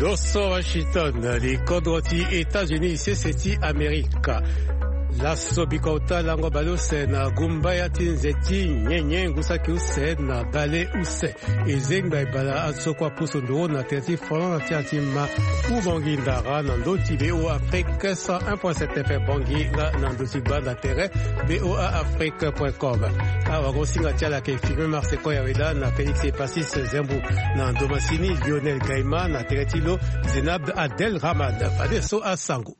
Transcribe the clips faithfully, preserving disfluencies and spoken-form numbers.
Oso Washington, li kodro ti États-Unis, sese ti Amerika. Laso bikota lango baleuse na gumbaya ti nze ti nyenye ngu saki use na baleuse. E zengba e bala asokua pusu nduru na tere ti Finlande ti atima. Ubongi ndara na ndö ti B O A Afrique cent un point sept F M Bangui nga na ndö ti gbanda tere B O A Afrique point com. Awago singa ti ala ke filme Marse Koya Weda na Félix Epasis Zembu na ndo masini Lionel Gaima na tere ti lo Zenab Adel Rahman. Fadeso asango.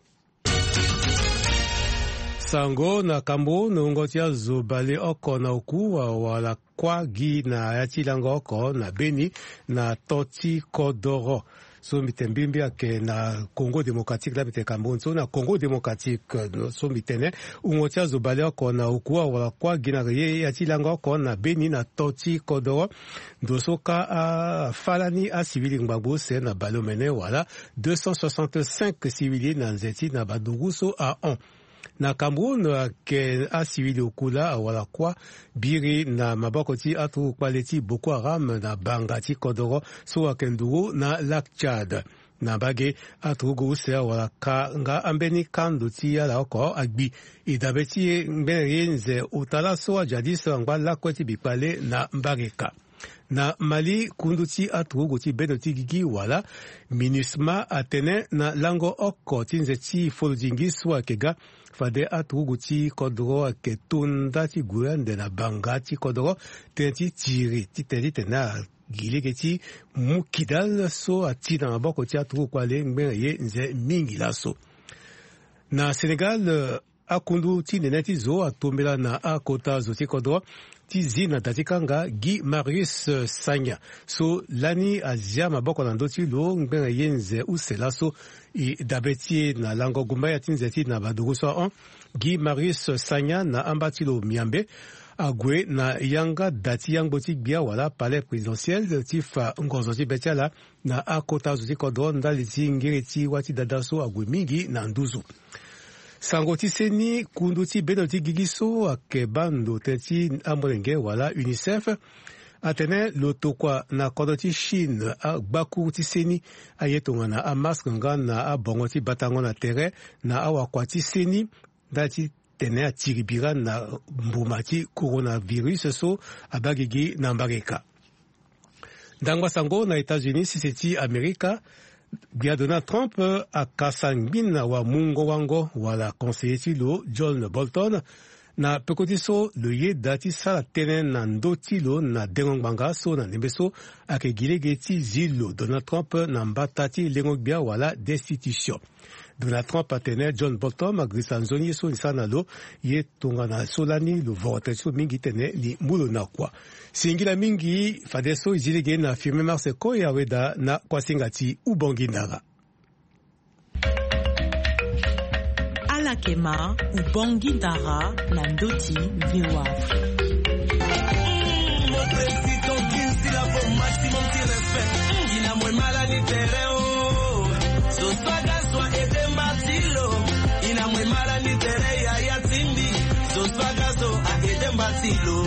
Sango na Cameroun, wungo ti azo baleoko na oku awara kuâ gi na ya ti lango oko na Beni na to ti kodoro. So mbi tene mbirimbiri ayeke na Congo Démocratique, laa mbi tene Cameroun so na Congo Démocratique, so mbi tene wungo ti azo baleoko na oku awara kuâ gi na ye ya ti lango oko na Beni na to ti kodoro. Ndo so kâ afâ lani asivili ngbangbo use na baleomene wala deux cent soixante-cinq sivili na nze ti na badugu so ahon. Na Cameroun ayeke asivili oku laa awara kuâ biri na maboko ti aturugu kpale ti Boko Haram na banga ti kodoro so ayeke nduru na Lac Tchad. Na mbage, aturugu use awara ka nga ambeni kando ti ala oko agbi. E dabe ti e ngbene ye nze ota laso ajadis angba lakue ti bikpale na mbage ka. Na Mali, kundu ti aturugu ti bendo ti gigi wala MINUSMA atene na lango oko ti nze ti folodingi so ayeke ga, fade aturugu ti kodoro ayeke to nda ti gue ande na banga ti kodoro, tënë ti tiri ti tene titene agi lege ti mu kidal so ati na maboko ti aturugu kpale ngbene ye nze mingi laso. Na Sénégal, akundu ti nene ti zo atombela na akota zo ti kodro ti zi na da ti kanga Guy Marius Sagna so lani azia maboko na ndö ti lo ngbene ye nze use laso. E dabe ti e na lango gumbaya ti nze ti na badugu so ahon. Guy Marius Sagna na amba ti lo Miambe ague na yanga da ti yangbo ti gbia wala palais présidentiel ti fa ngonzo ti be ti ala na akota zo ti kodro ndali ti ngiri ti wâ ti dada so ague mingi na nduzu. Sango ti seni, kundu ti bendo ti gigi so ayeke baa ndo tënë ti amolenge wala UNICEF atene lo tokua na kodro ti Chine agbakuru ti seni aye tongana amask nga na abongo ti batango na tere na awakua ti seni ndali ti tene atiri bira na mbuma ti coronavirus so abaa gigi na mbage ka. Ndangba sango na États-Unis, sese ti Amerika, gbia Donald Trump akasa ngbina wamungo-wango wala conseiller ti lo John Bolton na peko ti so lo yeda ti sara tënë na ndö ti lo na dengo ngbanga so na ndembe so ayeke gi lege ti zi lo Donald Trump na mbata ti lengo gbia wala destitution. Donald Trump atene John Bolton agirisa nzoni ye so ni sara na lo, ye tongana so lani lo voro tene ti lo mingi tene ni mu lo na kua. Singila mingi, fadeso e zi lege na Firmin Mars Koya Weda na kuasinga ti Ubongi Ndara. Ala yeke ma Ubongi Ndara na ndö ti V O A Afrique. Mon président Gims, il a pour maximum ti respect. Ina mue mala ni tere o. So swaga so a ede mba ti lo. Ina mue mala ni tere yaya ti mbi. So swaga so a ede mba ti lo.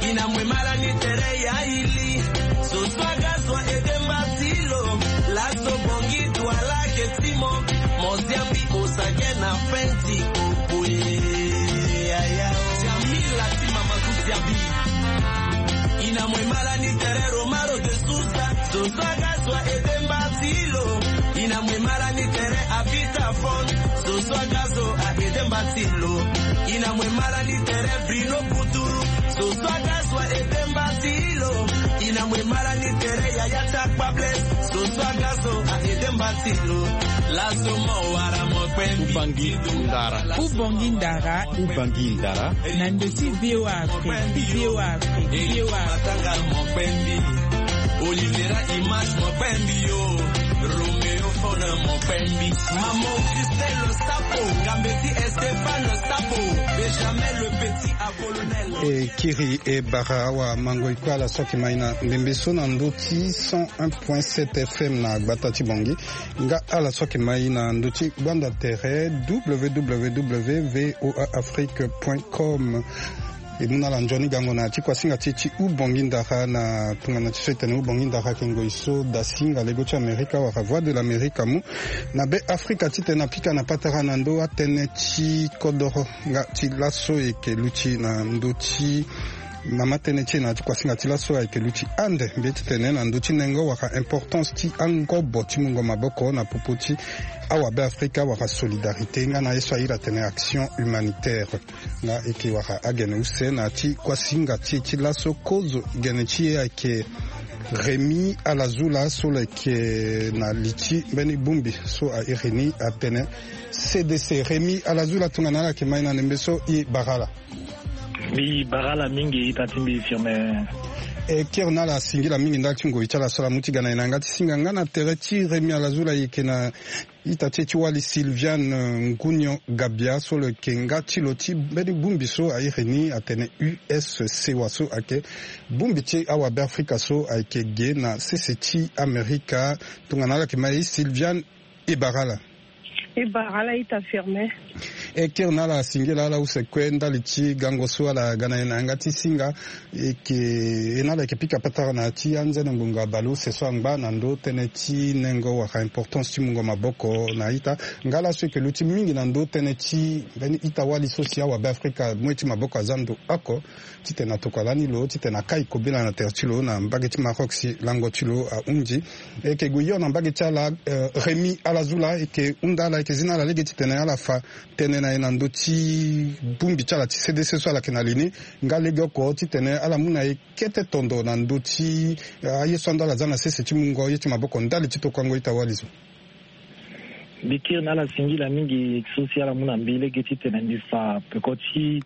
Ina mue mala ni tere ya ili. So swaga so a ede mba ti lo. Laso bongi Douala ke ti mo. Mo zi ambi osage na fin ti oboye. Yaya. Jamila ti mama ku ti abi. Ina mue mala ni tere Romaro de Souza. So swaga so a ede mba ti lo. Ina mue mala ni tere Abita Fon. So swaga so a ede mba ti lo. Ina mue mala ni tere Bruno Kuturu. So swaga so a ede mba ti lo. Ina mue mala ni tere Yaya Takpa Blaise. So swaga so a ede mba ti lo. Laso mo wara mo kpe mbi. Ubongi Ndara. Ubongi Ndara. Ubongi Ndara. Na ndö ti V O A Afrique, V O A Afrique, V O A Afrique. Matanga mo kpe mbi. Olivera Image mo kpe mbi yo. Romeo Fona mo kpe mbi. Maman Christelle Sapo, Gambeti Stéphane Sapo, Benjamin le Petit à Colonel. E kiri e bara awamango-ikpe, ala so ayeke ma e na ndembe so na ndö ti cent un point sept F M na gbata ti Bangui. Nga ala so ayeke ma e na ndö ti gbanda tere, W W W V O A Afrique point com. E mu na ala nzoni gango na ti kuasinga ti e ti Ubongi Ndara na tongana ti so e tene Ubongi Ndara ayeke ngoi so dasinga lego ti Amerika wala Voix de l'Amerique amu na Be Afrika titene apika na patara na ndö atënë ti kodoro nga ti laso e yeke luti na ndö ti mama tënë ti e na ya ti kuasinga ti laso ayeke luti ande mbi ye titene na ndö ti nengo wala importance ti angobo ti mungo maboko na popo ti awabe Afrika wala solidarité nga na ye so a iri atene action humanitaire. Nga e yeke wara agene use na ya ti kuasinga ti e ti laso kozo gene ti e ayeke Rémi Alazula so lo yeke na li ti mbeni bongbi so a iri ni atene C D C. Rémi Alazula tongana ala yeke mai na ndembe so e bara ala. Mbi bara ala mingi ita ti mbi Firmin. E kiri na ala singila mingi ndali ti ngoi ti ala so ala mu ti ga na e na yanga ti singa nga na tere ti Rémi Alazula e yeke na ita ti e ti wali Sylviane Ngunio Gabia so lo yeke nga ti lo ti mbeni bongbi so a iri ni atene U S C wa so ayeke bongbi ti awabe Afrika so ayeke ge na sese ti Amerika. Tongana ala yeke mai Sylviane e bara ala. E bara ala ita Firmin. E kiri na ala singila ala use kue ndali ti gango so ala ga na e na yanga ti singa. E yeke e na ala yeke pika patara na ya ti anzene ngbonga baleuse so angba na ndö tënë ti nengo wala importance ti mungo maboko na ita nga laso e yeke luti mingi na ndö tënë ti mbeni ita-wali so si awabe Afrika mu ye ti maboko aza ndo oko titene atokua lani lo titene akai kobela na tere ti lo na mbage ti Maroc si lango ti lo ahunzi. E yeke gue hio na mbage ti ala. Rémi Alazula e yeke hunda ala e yeke zi na ala lege titene ala fa tënë na e na ndö ti bongbi ti ala ti C D C so ala yeke na li ni nga legeoko titene ala mu na e kete tondo na ndö ti aye so ando ala za na sese ti mungo ye ti maboko ndali ti tokuango ita-wali so. Mbi kiri na ala singila mingi so si ala mu na mbi lege titene mbi fa peko ti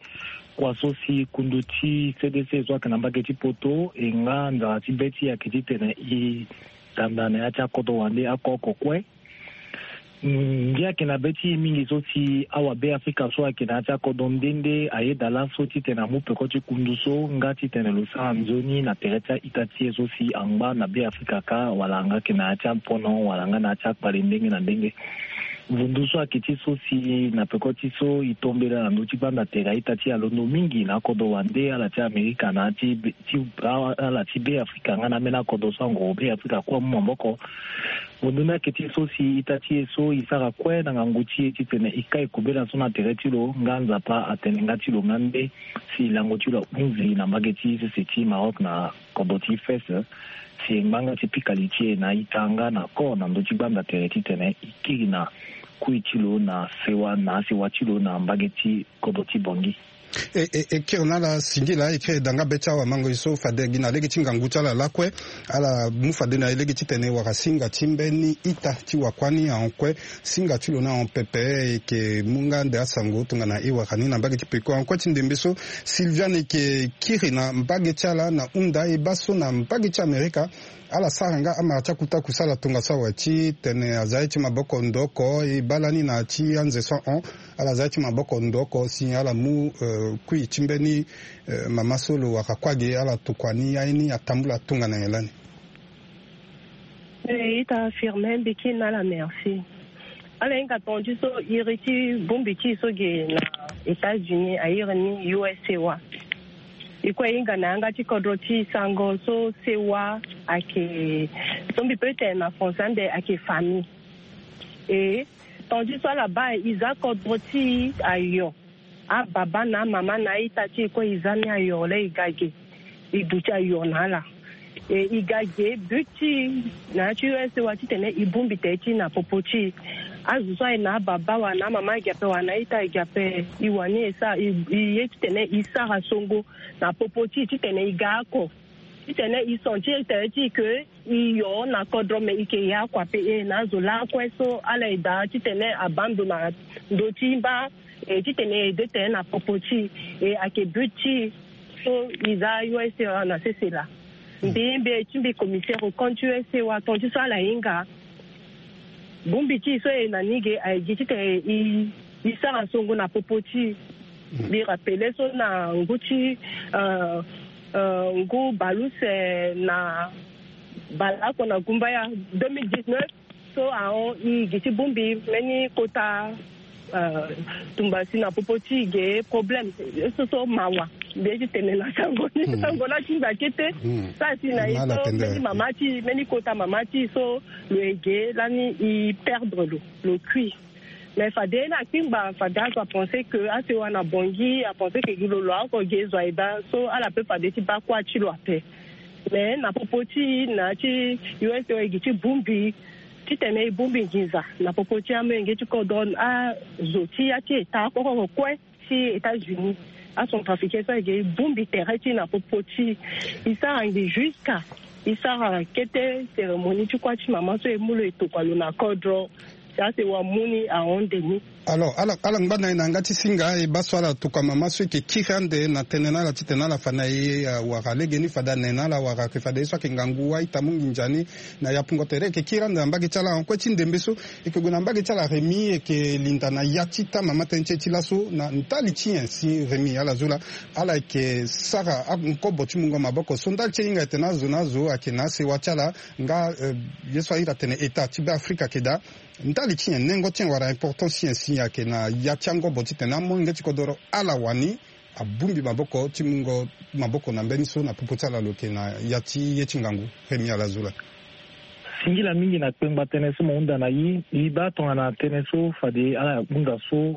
kua so si kundu ti C D C so ayeke na mbage ti poto e nga nzara ti be ti e ayeke titene e tanda na ya ti akodro wande oko oko kue. Mbi ayeke na be ti e mingi so si awabe Afrika so ayeke na ya ti akodro nde nde ayeda laso titene amu peko ti kundu so nga titene lo sara nzoni na tere ti a-ita ti e so si angba na be Afrika kâ wala nga yeke na ya ti apono wala nga na ya ti akpale ndenge na ndenge. Vundu so ayeke ti so si na peko ti so e tombela na ndö ti gbanda tere a-ita ti e alondo mingi na akodro wande ala ti Amerika na ya ti be- ti ala ti be Afrika nga na ambeni akodro so angoro be Afrika kue amu maboko. Vundu ni ayeke ti so si ita ti e so e sara kue na ngangu ti e titene e kai kobela so na tere ti lo nga Nzapa atene nga ti lo nga nde si lango ti lo ahunzi na mbage ti sese ti Maroc na kodro ti Fès si e ngba nga ti pika li ti e na ita nga na kor na ndö ti gbanda tere titene e kiri na kui ti lo na sewa na asewa ti lo na mbage ti kodro ti Bangui. E, e, e kiri na ala singila e kiri da nga be ti awamango e so fade gi na lege ti ngangu ti ala lakue. Ala mu fade na e lege titene wara singa ti mbeni ita ti wakuani ahon kue. Singa ti lo ni ahon pepe. E yeke mu nga ande asango tongana e wara ni na mbage ti peko ahon kue ti ndembe so Sylviane e yeke kiri na mbage ti ala na hunda e baa so na mbage ti Amerika. Ala sara nga amara ti akuta kusa ala tongaso awe titene aza ye ti maboko ndo oko e baa lani na ya ti anze so ahon. Ala za ye ti maboko ndo oko si ala mu, eh, kui ti mbeni, eh, mama so lo wara kue age ala tokua ni aye ni atambula tongana nyen lani. Eh, ita Firmin, mbi kiri na ala merci. Ala hinga tonga ti so iri ti bongbi ti e so ge na États-Unis a iri ni U S C wa. E kue e hinga na yanga ti kodro ti e sango so sewa ayeke so mbi peut tene na français ande ayeke famille. E tonga ti so ala baa e za kodro ti e ayo. Ababa na amama na a-ita ti e kue e za ni ayo laa e ga ge. E duti ayo na ala. E, e ga ge but ti e na ya ti U S C wa titene e bongbi tere ti e na popo ti e. Azo so aye na ababa wala na amama agi ape wala na a-ita agi ape, e wani e sara e, e ye titene e sara songo na popo ti e titene e ga oko. Titene e sentir tere ti e ke e yo na kodro me e yeke ya kua pe e na azo lakue so ala e daa titene abaa ndo na ndö ti mba. E titene e de tene na popo ti e, e ayeke but ti e so e za U S C wa na sese laa. Mbi mbi ti mbi commissaire au compte U S C wa tonga ti so ala hinga. Bongbi ti e so e na ni ge aye gi titene e, e sara songo na popo ti e. Mbi rappele so na ngu ti, euh, euh, ngu baleuse na baleoko na gumbaya deux mille dix-neuf so ahon e gi ti bongbi mbeni kota, euh, tumba si na popo ti e ge problème so so mawa. Mbi ye ti tene na sango ni, sango laa ti mbi akete. Sara si na ye so mbeni mama ti, mbeni kota mama ti so lo ege lani e perdre lo, lo kui. Mais fade na kpingba fade azo apense ke asewa na bongi, apense ke gi lo lo ako ge zo aye baa so ala pe fade ti baa kuâ ti lo ape. Mais na popo ti na ya ti U S A e gi ti bongbi titene e bongbi nginza na popo ti amolenge ti kodro, azo ti ya ti eta oko oko kue ti États-Unis. Acentrafricain so ayeke e bongbi tere ti e na popo ti e, e sara ngi jusqu'à e sara kete cérémonie ti kuâ ti mama so e mu lo e tokua lo na kodro. Si asewa mu ni ahon nde ni. Alors ala, ala ngba na e na yanga ti singa e baa so ala tokua mama so e yeke kiri ande na tënë na ala titene ala fa na e, ah, wara legeni fade ane na ala wara ayeke fade ye so ayeke ngangu a-ita mu nginza ni. Na yapungo tere e yeke kiri ande na mbage ti ala en kue ti ndembe so. E yeke gue na mbage ti ala Rémi, e yeke linda na ya ti ita mama tënë ti e ti laso na ndali ti nyen si Rémi ala zo laa. Ala yeke sara angobo ti mungo maboko so ndali ti e hinga ete na azo na azo ayeke na asewa ti ala nga, eh, ye so a iri atene eta ti Be Afrika ayeke daa. Ndali ti nyen nengo ti nyen wala importance ti nyen si ayeke na ya ti angobo titene amolenge ti kodoro ala wani abongbi maboko ti mungo maboko na mbeni so na popo ti ala lo yeke na ya ti ye ti ngangu? Rémi ala zo laa. Singila mingi na kpengba tënë so mo hunda na e. E baa tongana tënë so fade ala hunda so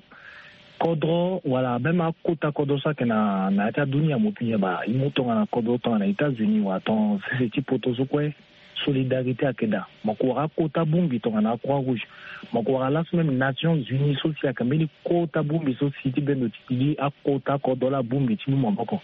kodro wala même akota kodro so ayeke na, na ya ti adunia mo pinye baa e mu tongana kodro tongana États-Unis wala ton sese ti poto so kue. Solidarité ayeke daa. Mo yeke wara akota bongbi tongana Croix Rouge. Mo yeke wara laso même Nations Unies so si ayeke mbeni kota bongbi so si ti bendo ti gi akota kodro la bongbi ti mu maboko.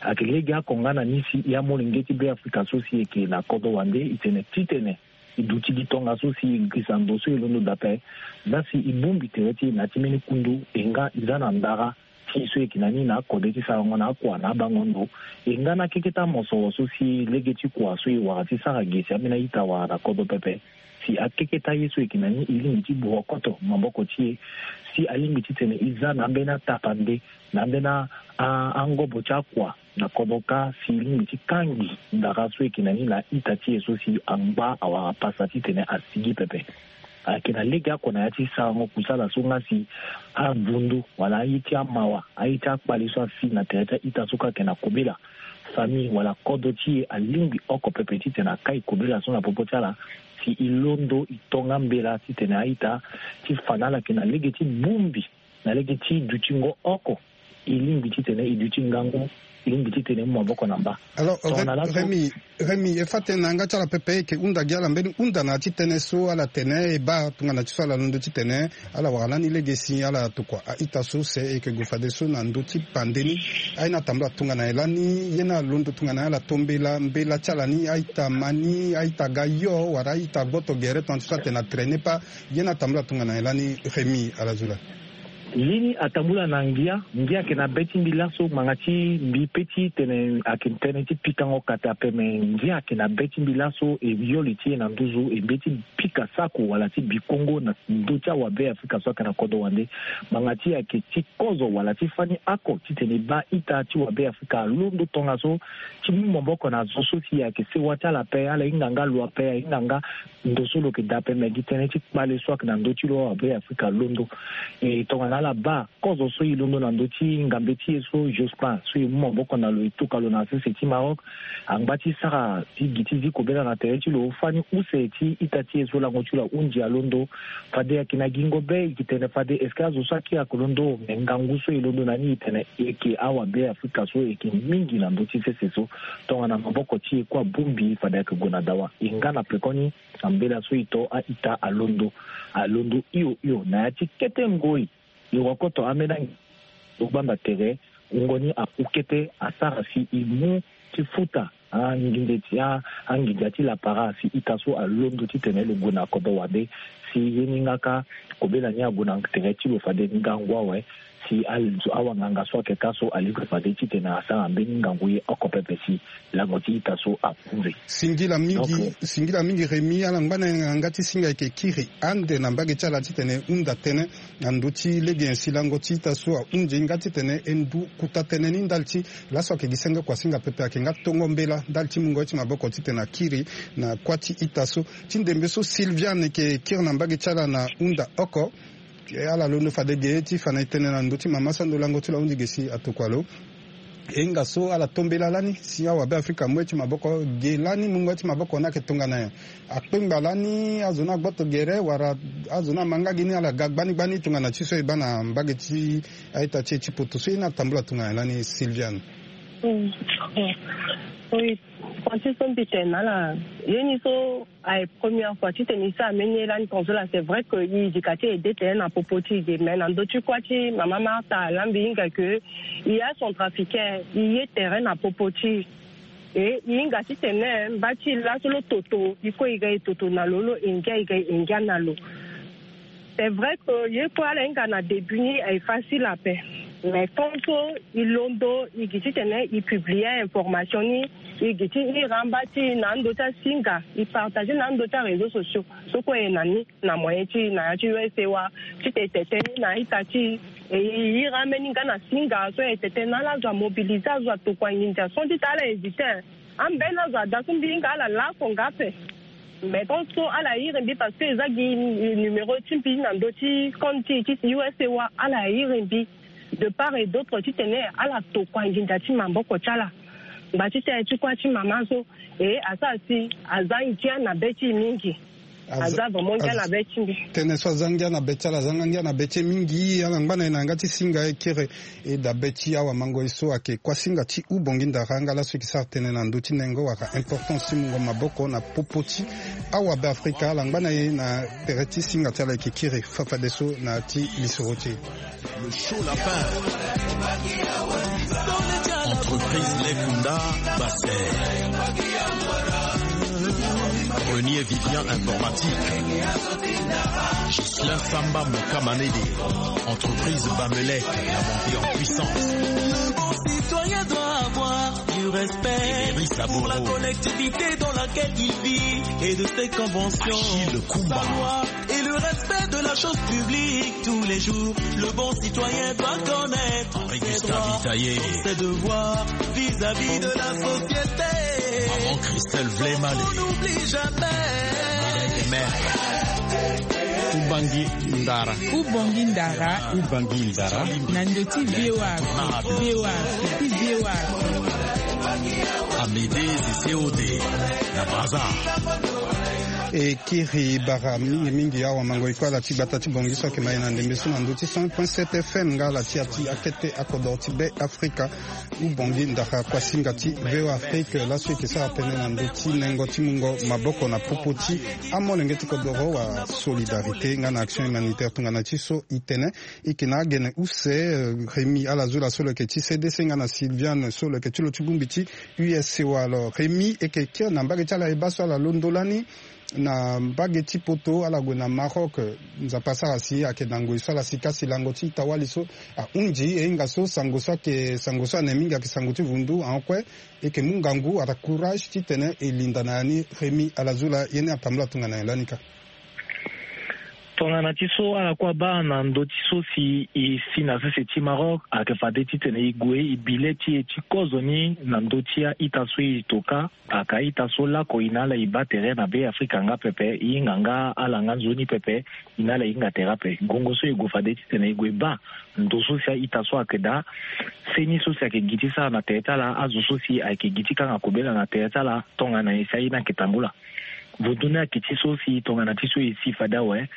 Ayeke lege oko nga na ni si e amolenge ti Be Afrika so si e yeke na kodro wande e tene titene e duti gi tongaso si e girisa ndo so e londo daa ape. Zia si e bongbi tere ti e na ya ti mbeni kundu e nga e za na ndara ti e so e yeke na ni na akode ti sarango na akua na abango ndo. E nga na akeketa mosoro so si lege ti kua so e wara ti sara ge si ambeni a-ita wara na kodro pepe. Si akeketa ye so e yeke na ni e lingbi ti burokoto maboko ti e. Si alingbi titene e za na ambeni atapande na ambeni a, a, angobo ti akua na kodro kâ si e lingbi ti kangi ndara so e yeke na ni na a-ita ti e so si angba awara pasa titene asigi pepe. Ayeke na lege oko na ya ti sarango kusala so nga si avundu wala aye ti amawa, aye ti akpale so asi na tere ti a-ita so kue ayeke na kobela. Famille wala kodro ti e alingbi oko pepe titene akai kobela so na popo ti ala si e londo e tonga mbela titene a-ita ti fa na ala ayeke na lege ti bongbi na lege ti dutingo oko. E lingbi titene e duti ngangu, e lingbi titene e mu maboko na mba. Alors, tongana laso Rémi, Rémi, e fa tënë na yanga ti ala pepe e yeke hunda gi ala mbeni hunda na ya ti tënë so ala tene e baa tongana ti so ala londo titene ala wara lani lege si ala tokua a-ita so se e yeke gue fadeso na ndö ti pande ni. Aye ni atambula tongana nyen lani? Ye ni alondo tongana nyen ala to mbela, mbela ti ala ni a-ita ma ni, a-ita ga yo wala a-ita gboto gere tongana ti so atene na traîner pas? Ye ni atambula tongana nyen lani Rémi ala zo laa? Ye ni atambula na ngia. Ngia ayeke na be ti mbi laso ngbanga ti mbi pe ti tene ayeke tënë ti pikango kate ape me ngia ayeke na be ti mbi laso e yoli ti e na nduzu e mbeti pika sako wala ti bikongo na ndö ti awabe Afrika so ayeke na kodro wande. Ngbanga ti e ayeke ti kozo wala ti fani oko titene e baa ita ti wabe Afrika alondo tongaso ti mu maboko na zo so si ayeke sewa ti ala ape, ala hinga nga lo ape, ahinga nga ndo so lo yeke daa ape me gi tënë ti kpale so ayeke na ndö ti lo awabe Afrika alondo. E tongana ala baa kozo so e londo na ndö ti ngambe ti e so Jospin so e mu maboko na lo e tuka lo na sese ti Maroc. Angba ti sara ti gi ti zi kobela na tere ti lo fani use ti ita ti e so lango ti lo ahunzi alondo. Fade ayeke na gingo be e yeke tene fade est-ce que azo so akiri ayeke londo me ngangu so e londo na ni e tene e yeke awabe Afrika so e yeke mingi na ndö ti sese so. Tongana maboko ti e kue abongbi fade ayeke gue na dawa e nga na pekoni na mbela so e to a-ita alondo. Alondo hio hio na ya ti kete ngoi. E wakoto ambeni angi lo gbanda tere wungo ni aku kete asara si e mu ti futa anginde ti a, anginza ti lapara si ita so alondo titene lo gue na kodro wande. Si ye ni nga kâ kobela ni ague na tere ti lo fade ngangu awe. Si a, awanganga so ayeke kâ so alingbi fade titene asara mbeni ngangu ye oko pepe si lango ti ita so akunze. Singila mingi. Donc, singila mingi Rémi, ala ngba na yanga ti singa e yeke kiri ande na mbage ti ala titene e hunda tënë na ndö ti lege nyen si lango ti ita so ahunzi nga titene e ndu kota tënë ni ndali ti laso ayeke gi senge kua singa pepe ayeke nga tongo mbela ndali ti mungo ye ti maboko titene akiri na kuâ ti ita so. Ti ndembe so Sylviane e yeke kiri na mbage ti ala na hunda oko. Ala londo fade ge ti fa na e tënë na ndö ti mama so ando lango ti lo ahunzi ge si atokua lo. E hinga so ala tombela lani si awabe afrika amu ye ti maboko. Ge lani mungo ye ti maboko ni ayeke tongana nyen? Akpengba lani azo ni agboto gere wala azo ni amanga gi ni ala ga gbani gbani tongana ti so e baa na mbage ti a-ita ti e ti poto so ye ni atambula tongana nyen lani, Sylviane? Oui, francis so mbi tene na ala, ye ni so aye première fois titene e sara mbeni ye lani tongaso laa. C'est vrai que e yika ti e de tere na popo ti e ge, mais na ndö ti kuâ ti mama Martha laa mbi hinga ke e ya centrafricain, e ye tere na popo ti e. E e hinga titene mba ti e laso lo toto e kue e ga e toto na lo, lo engia e ga e engia na lo. C'est vrai que ye kue ala hinga na début ni aye facile ape, mais tant so e londo e gi titene e publie information ni, e gi ti ira mba ti e na ando ti asinga, e partage na ando ti aréseau sociaux so kue e na ni na moyen ti e na ya ti U S A wa, titene e tete ni na a-ita ti e. E ira ambeni nga na singa so e tete na ala zo amobiliser azo atokua nginza so ti tene ala hésiter. Ambeni azo ada so mbi hinga ala lako nga ape. Mais tant so ala iri mbi parce que e za gi numéro ti mbi na ndö ti compte ti e ti U S A wa, ala iri mbi de part et d'autre titene ala tokua nginza ti maboko ti ala. Ngba ti tene ti kuâ ti mama so e asara si aza ngia na be ti e mingi. Aza vraiment ngia na be ti mbi. Tënë so aza ngia na be ti ala, aza nga ngia na be ti e mingi. Ala ngba na e na yanga ti singa e kiri e dabe ti awamango e so ayeke kuâ singa ti Houphouët-Boigny-Ndara nga laso e yeke sara tënë na ndö ti nengo wala importance ti mungo maboko na popo ti awabe afrika. Ala ngba na e na tere ti singa ti ala e yeke kiri fafadeso na ya ti lisoro ti e. Le show lapin. Entreprise Lekunda Bassin. Renier Vivian Informatique. Ghislain Samba Mokamanede. Entreprise Bamelec, la montée en puissance. Le bon citoyen doit avoir du respect pour la collectivité dans laquelle il vit et de ses conventions. Achille Kumba. Sa loi et le respect de la chose publique tous les jours. Le bon citoyen doit connaître ses droits, ses devoirs vis-à-vis de la société. Maman Christelle Vlemale. On n'oublie jamais. Ubangi Ndara. Ubangi Ndara. Ubangi Ndara. Na ndö ti V O A Afrique. V O A Afrique. V O A Afrique. Amédée Zisséodé. Na Brazza. E kiri bara mingi mingi awamango e kue ala ti gbata ti Bangui so ayeke ma e na ndembe so na ndö ti cent point sept F M nga ala ti ya ti akete akodoro ti Be Afrika. Ubangi Ndara kuâ singa ti V O A Afrique laso e yeke sara tënë na ndö ti nengo ti mungo maboko na popo ti amolenge ti kodoro wala solidarité nga na action humanitaire tongana ti so e tene. E yeke na agene use, eh, Rémy Alazoula so lo yeke ti C D C nga na Sylviane so lo yeke ti lo ti bongbi ti U S C wa. Alors Rémy, e yeke kiri na mbage ti ala e baa so ala londo lani na mbage ti poto, ala gue na Maroc. Nzapa asara si ayeke na ngoi so ala sika si lango ti ita-wali so ahunzi. E hinga so sango so ayeke sango so ane mingi ayeke sango ti vundu. Ahon kue e yeke mu ngangu wala courage titene e linda na ya ni. Rémy Alazoula ye ni atambula tongana nyen lani kâ? Tongana ti so ala kue abaa na ndö ti so si e si na sese ti Maroc, ayeke fade titene e gue e bi le ti e ti kozo ni na ndö ti a-ita so e to kâ. Aka ita so lako e na ala e baa tere na Be Afrika nga pepe, e hinga nga ala nga nzoni pepe, e na ala e hinga tere ape. Gongo so e gue fade titene e gue baa ndo so si a-ita so ayeke daa, seni so si ayeke gi ti sara na tere ti ala, azo so si ayeke gi ti kanga kobela na tere ti ala, tongana nyen si aye ni ayeke tambula. Vundu ni ayeke ti so si tongana ti so e si fade awe,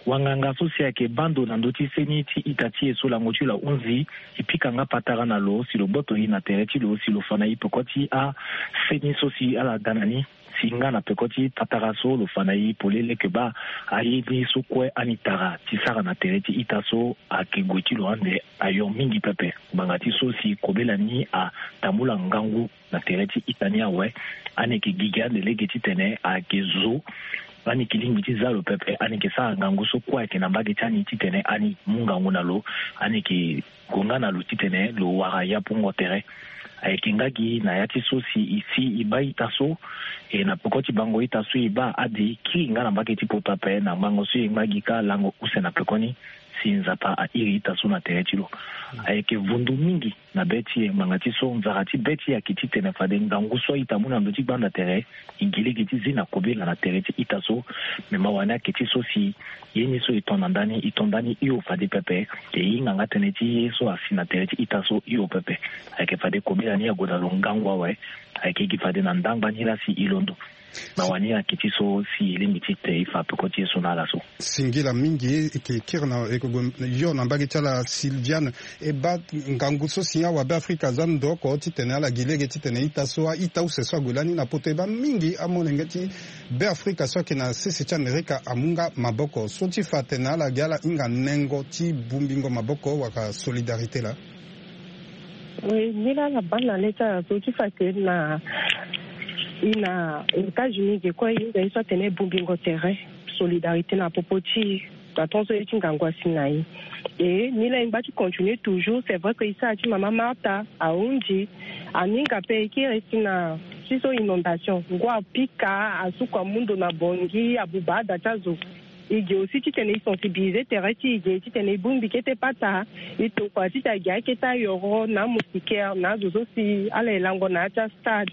wanganga so si ayeke baa ndo na ndö ti seni ti ita ti e so lango ti lo ahunzi, e pika nga patara na lo si lo gboto e na tere ti lo si lo fa na e peko ti aseni so si ala ga na ni, si nga na peko ti patara so lo fa na e polele ke baa aye ni so kue ani tara ti sara na tere ti ita so ayeke gue ti lo ande ayo mingi pepe. Ngbanga ti so si kobela ni atambula ngangu na tere ti ita ni awe, ani yeke gigi ande lege titene ayeke zo, ani yeke lingbi ti za lo pepe, ani yeke sara ngangu so kue ayeke na mbage ti ani titene ani mu ngangu na lo, ani yeke gue nga na lo titene lo wara yapungo tere. Ayeke nga gi na ya ti so si e si e baa ita so, e na peko ti bango ita so e baa ade kiri nga na mbage ti poto ape na ngangu so e ngba gi kâ lango use na pekoni. Si Nzapa airi ita so na tere ti lo, ayeke vundu mingi na be ti e. Ngbanga ti so, nzara ti be ti e ayeke titene fade ngangu so a-ita amu na ndö ti gbanda tere, e gi lege ti zi na kobela na tere ti ita so. Me mawa ni ayeke ti so si ye ni so e to na ndani, e to ndani hio fade pepe. E hinga nga tënë ti ye so asi na tere ti ita so hio pepe. Ayeke fade kobela ni ague na lo ngangu awe. Ayeke gi fade na ndangba ni laa si e londo. Na wani ayeke ti so si e lingbi ti te e fa peko ti e so na ala so. Singila mingi. E yeke kiri na, e yeke gue yo na mbage ti ala Sylviane. E baa ngangu so si awabe Afrika aza ndo oko titene ala gi lege titene ita so, a-ita use so ague lani na poto, e baa mingi amolenge ti be Afrika so ayeke na sese ti Amerika amu nga maboko so ti fa atene ala gi ala hinga nengo ti bongbingo maboko wala solidarité laa. Oui, nilaa na baa na le ti ala so ti fa ke na, e na États-Unis ge kue, e hinga ye so atene bongbingo tere, solidarité na popo ti e, na tongaso ye ti ngangu asi na e. E nilaa e ngba ti continuer toujours. C'est vrai que e sara ti mama Martha ahunzi, aninga pe e kiri si na ti so inondation, ngu apika, asuku amu ndo na Bangui, abuba ada ti azo. E ge aussi titene e sensibiliser tere ti e ge titene e bongbi kete pata, e tokua titene a ge akete ayoro na amoustiquaire na azo so si ala ye lango na ya ti astade.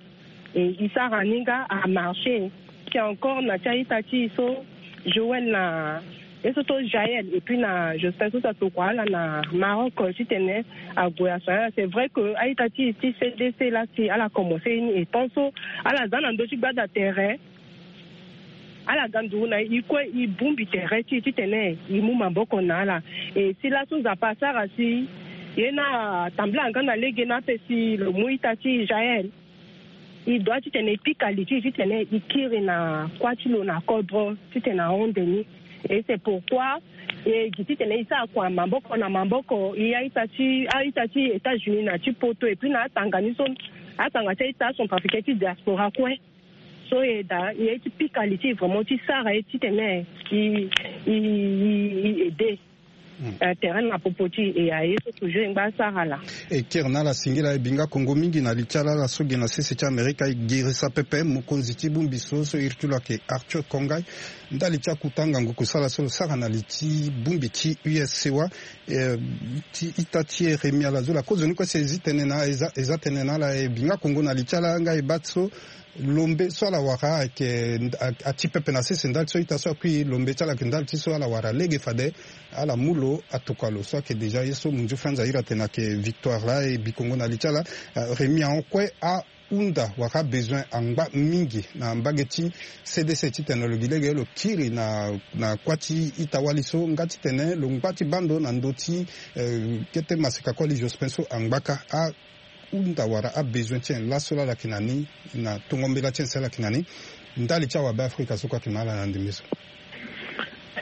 E, e sara ni nga amarché. Ti encore na ti a-ita ti e so Joël na ye so to Jaël et puis na Jospin so si atokua ala na Maroc titene ague asoigner ala. C'est vrai que a-ita ti e ti C D C laa si ala commencé ye ni, e temps so ala za na ndö ti gbanda tere, ala ga nduru na e kue, e bongbi tere ti e titene e mu maboko na ala. E si laso Nzapa asara si ye ni atambula nga na lege ni ape si lo mu ita ti e Jaël, e doit titene e pika li ti e titene e kiri na kuâ ti lo na kodro titene ahon nde ni. Et c'est pourquoi e gi titene e sara kua maboko na maboko, e a-ita ti, a-ita ti États-Unis na ti poto et puis na atanga ni so, atanga ti a-ita acentrafricain ti diaspora kue. So e daa, e ye ti pika li ti e vraiment ti sara ye titene e, e, e, e aider. Hmm. Eh, tere na popo ti e, e aye so toujours e ngba sara laa. E kiri na ala singila. E binga kongo mingi na li ti ala, ala so gi na sese ti Amerika. E girisa pepe mokonzi ti bongbi so, so iri ti lo ayeke Arthur Kongai. Ndali ti akuta ngangu kusala so lo sara na li ti bongbi ti U S C O A, eh, ti ita ti e Rémi Alazoula, kozoni kue si e zi tënë na, e za, e za tënë na ala. E binga kongo na li ti ala nga e baa so lombe so ala wara ayeke, a, ati pepe na sese ndali so ita so akui. Lombe ti ala ayeke ndali ti so ala wara lege fade ala mu lo, atokua lo so ayeke déjà ye so Munju Franz ahiri atene ayeke victoire laa. E bi kongo na li ti ala, eh, Rémi ahon kue ahunda wala abesoin angba mingi na mbage ti C D C titene lo gi lege lo kiri na, na kuâ ti ita-wali so nga titene lo ngba ti baa ndo na ndö ti, eh, kete maseka koli Jospin so angba kâ. A hunda wala abesoin ti en laso laa ala yeke na ni, na tongo mbela ti en si ala yeke na ni ndali ti awabe Afrika so kue ayeke na ala na ndembe so.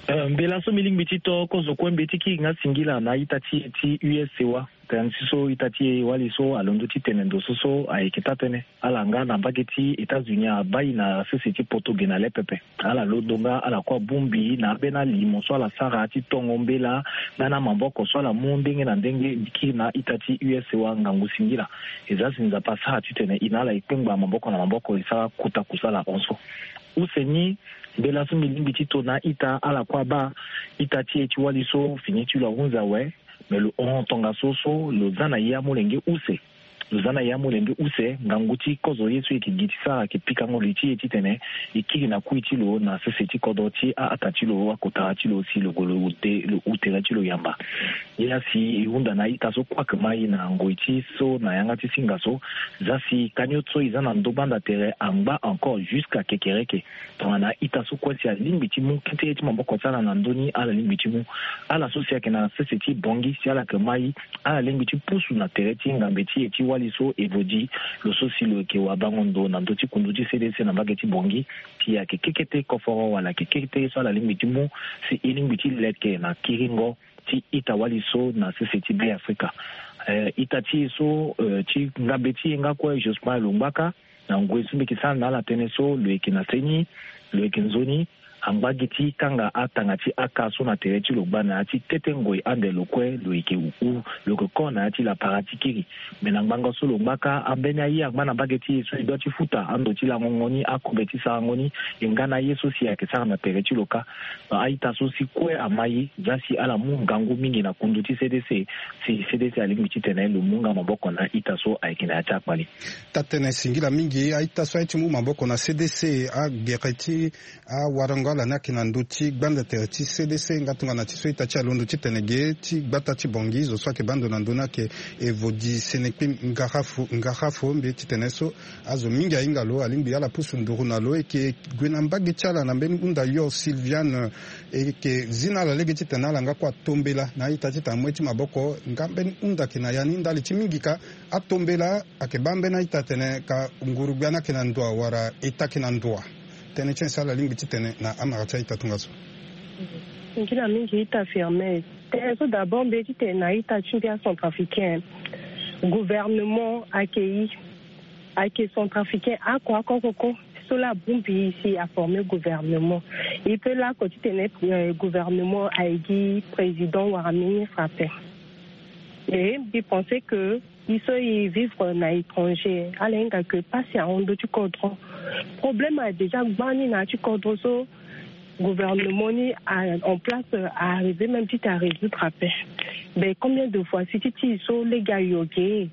Eh, mbela so mbi lingbi ti to kozo kue mbeti kiri nga singila na ita ti e ti U S C O A. Tënë ti so ita ti e wali so alondo ti tene ndo so so ayeke taa-tënë. Ala nga na mbage ti États-Unis abaa e na sese ti poto ge na le pepe. Ala londo nga ala kue abongbi na ambeni alimo so ala sara ti tongo mbela nga na maboko so ala mu ndenge na ndenge kiri na ita ti U S C O A ngangu singila. E za si Nzapa asara titene e na ala e kpengba maboko na maboko e sara kota kusala hon so. Use ni, mbela so mbi lingbi ti to na a-ita, ala kue abaa ita ti e ti wali so fini ti lo ahunzi awe. Me lo hon tongaso so lo za na ye amolenge use. Lo za na ye amolenge use, ngangu ti kozo ye so e yeke gi ti sara ayeke pikango li ti e titene e kiri na kui ti lo na sese ti kodro ti a-ata ti lo, akotara ti lo si lo gue lo ute, lo hu tere ti lo yamba. Ye laa si e hunda na a-ita so kue ayeke mai na ngoi ti so na yanga ti singa so, za si kanio so e za na ndö gbanda tere angba encore jusqu'à kekereke. Tongana a-ita so kue si alingbi ti mu kete ye ti maboko ti ala na ndö ni, ala lingbi ti mu. Ala so si ayeke na sese ti Bangui si ala yeke mai, ala lingbi ti pusu na tere ti ngambe ti e ti wali so Evodi, lo so si lo yeke wabango ndo na ndö ti kundu ti C D C na mbage ti Bangui, si ayeke kekete koforo wala ayeke kekete ye so ala lingbi ti mu, si e lingbi ti leke na kiringo ti ita-wali so na sese ti Be Afrika. Eh, ita ti e so, eh, ti ngambe ti e nga kue Jospin lo ngba kâ, na ngoi so mbi yeke sara na ala tënë so, lo yeke na seni, lo yeke nzoni, angba gi ti kanga atanga ti aka so na tere ti lo gbaa na ya ti kete ngoi ande lo kue lo yeke hu lo yeke ko na ya ti lapara ti kiri. Me na ngbanga so lo ngba kâ ambeni aye angba na mbage ti e so e dua ti futa ando ti langongo ni akobe ti sarango ni. E nga na aye so si ayeke sara na tere ti lo kâ. Na a-ita so si kue ama ye za si ala mu ngangu mingi na kundu ti C D C. Si C D C alingbi titene lo mu nga maboko na a-ita so ayeke na ya ti akpale. Taa-tënë singila mingi. A-ita so aye ti mu maboko na C D C agere ti awarango ala ni ayeke na ndö ti gbanda tere ti C D C nga tongana ti so ita ti alondo titene ge ti gbata ti Bangui zo so ayeke baa ndo na ndö ni ayeke Evodi Senekpi Ngarafo Ngarafo mbi titene so azo mingi ahinga lo alingbi ala pusu nduru na lo e yeke gue na mbage ti ala na mbeni hunda yo Sylviane. E yeke zi na ala lege titene ala nga kue atombela na a-ita titene amu ye ti maboko nga mbeni hunda ayeke na ya ni ndali ti mingi kâ atombela ayeke baa mbeni a-ita atene ka nguru-gbia ni ayeke na ndoa wala eta ayeke na ndoa. Tënë ti nyen si ala lingbi titene na amara ti a-ita tongaso? Nzila mingi ita Firmin. Tënë so d'abord mbi ye titene na a-ita ti mbi acentrafricain, gouvernement ayeke ye ayeke centrafricain oko oko oko so laa abongbi e si aforme gouvernement. E peut laa oko titene gouvernement aye gi président wala ministre ape. E mbi pense que e so e vivre na étranger ala hinga que pasi ahon ndö ti kodro. Problème ayeke déjà gbani na ya ti kodro so gouvernement ni a en place a arriver même ti te a résoudre ape. Mais combien de fois si ti ti e so lege ayo ge?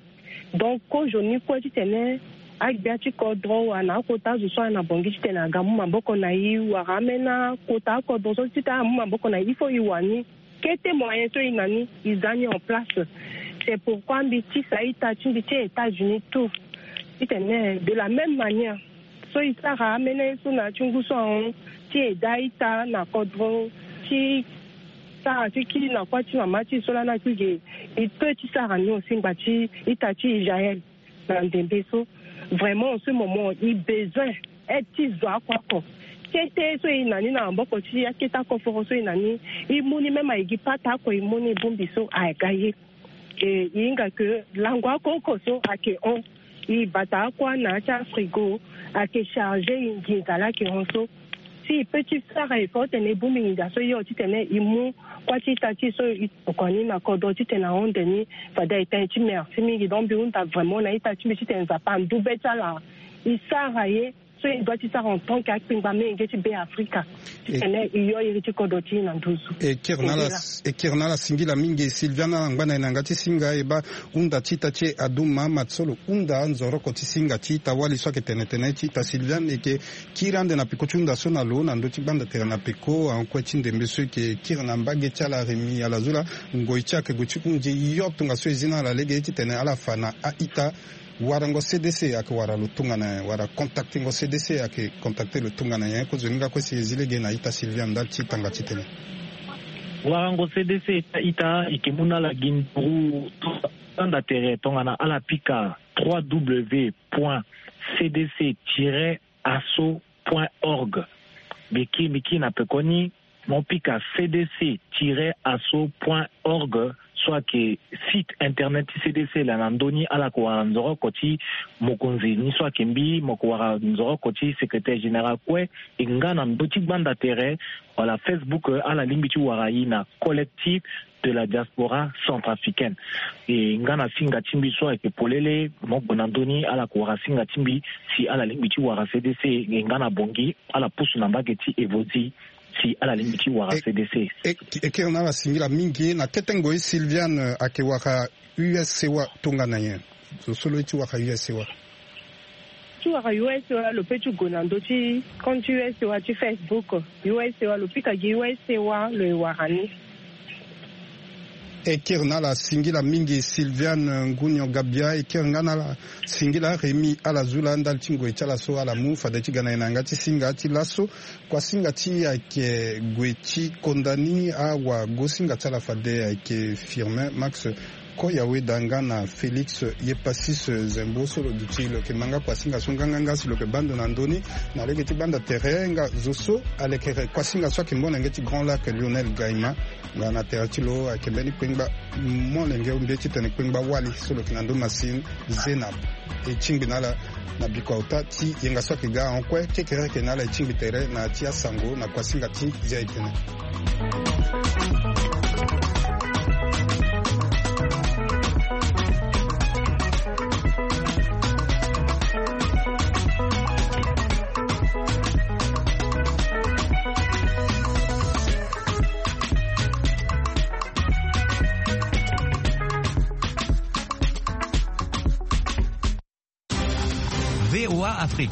Donc kozo ni kue titene agbia ti kodro wala na akota azo so ayeke na bongi titene aga amu maboko na e wala ameni akota akodro so titene amu maboko na e il faut e wani kete moyen so e na ni e za ni en place. C'est pourquoi mbi tisa a-ita ti mbi ti États-Unis tout titene de la même manière so e sara ameni aye so na ya ti ngu so ahon ti eda a-ita na kodro ti sara ti kiri na kuâ ti mama ti e so lani akui ge. E peut ti sara ni aussi ngba ti ita ti Israël na ndembe so. Vraiment en ce moment e besoin aide ti zo oko oko. Kete so e na ni na maboko ti akete akoforo so e na ni e mu ni même aye gi pata oko e mu ni bongbi so aga ye. E hinga que lango oko oko so ayeke hon e bata akua na ya ti afrigo ayeke charge e nginza laa ayeke hon so. Si e peut ti sara effort titene e bongbi nginza so e hon titene e mu kuâ ti ita ti e so e tokua ni na kodro titene ahon nde ni. Fade aye tënë ti merci mingi donc mbi hunda vraiment na ita ti mbi titene Nzapa andu be ti ala e sara ye so e doit ti sara en tant que akpengba menge ti Be Afrika titene e yo iri ti kodro ti e na nduzu. E kiri na ala singila mingi Sylviane ala ngba na e na yanga ti singa e baa hunda ti ita ti e Adou Mahamat so lo hunda anzoroko ti singa ti ita wali so ayeke tene tene ti ita Sylviane e yeke kiri ande na peko ti hunda so na lo na ndö ti gbanda tere na peko ahon kue ti ndembe so e yeke kiri na mbage ti ala Rémi Alazula. Ngoi ti ayeke gue ti hunzi yo tongaso e zi na ala lege titene ala fa na a-ita warango C D C ayeke wara lo tongana nyen wala contactengo C D C ayeke contacte lo tongana nyen? Kozoni nga kue si e zi lege na ita Sylviane ndali ti tanga titene. Warango C D C ti a-ita e yeke mu na ala gi nduru ti gbanda tere tongana ala pika trois W point C D C tiret asso point org. Mbi kiri mbi kiri na pekoni mo pika C D C tiret asso point org so ayeke site internet ti C D C laa na ndö ni ala yeke wara nzoroko ti mokonzi ni so ayeke mbi mo yeke wara nzoroko ti secrétaire général kue. E nga na ndö ti gbanda tere wala Facebook ala lingbi ti wara e na collectif de la diaspora centrafricaine. E nga na singa ti mbi so ayeke polele mo gue na ndö ni ala yeke wara singa ti mbi si ala lingbi ti wara C D C e nga na bongi ala pusu na mbage ti Evodi si ala lingbi ti wara C D C. E kiri na ala singila mingi na kete ngoi Sylviane ayeke wara U S C wa tongana nyen? Zo so lo ye ti wara U S C wa. Ti wara U S C wa lo peut ti gue na ndö ti compte U S C wa ti Facebook. U S C wa lo pika gi U S C wa lo e wara ni. E kiri na ala singila mingi Sylviane Ngunion Gabia e kiri nga na ala singila Rémi Alazula ndali ti ngoi ti ala so ala mu fade ti ga na e na yanga ti singa ti laso. Kua singa ti e ayeke gue ti konda ni awagosinga ti ala fade ayeke Firmin Max Koya weda nga na Félix Yepasis Zembo so lo duti lo yeke ma nga kuasinga so nganganga si lo yeke baa ndo na ndö ni na lege ti gbanda tere nga zo so alekere kuasinga so ayeke molenge ti Grand Lac, Lionel Gaima. Nga na tere ti lo ayeke mbeni kpengba molenge mbeni titene kpengba wali so lo yeke na ndö Massine, Zénab. E tingbi na ala na bikua ota ti yenga so ayeke ga ahon kue. Kekereke na ala e tingbi tere na ya ti asango na kuasinga ti zia etene. V O A Afrique.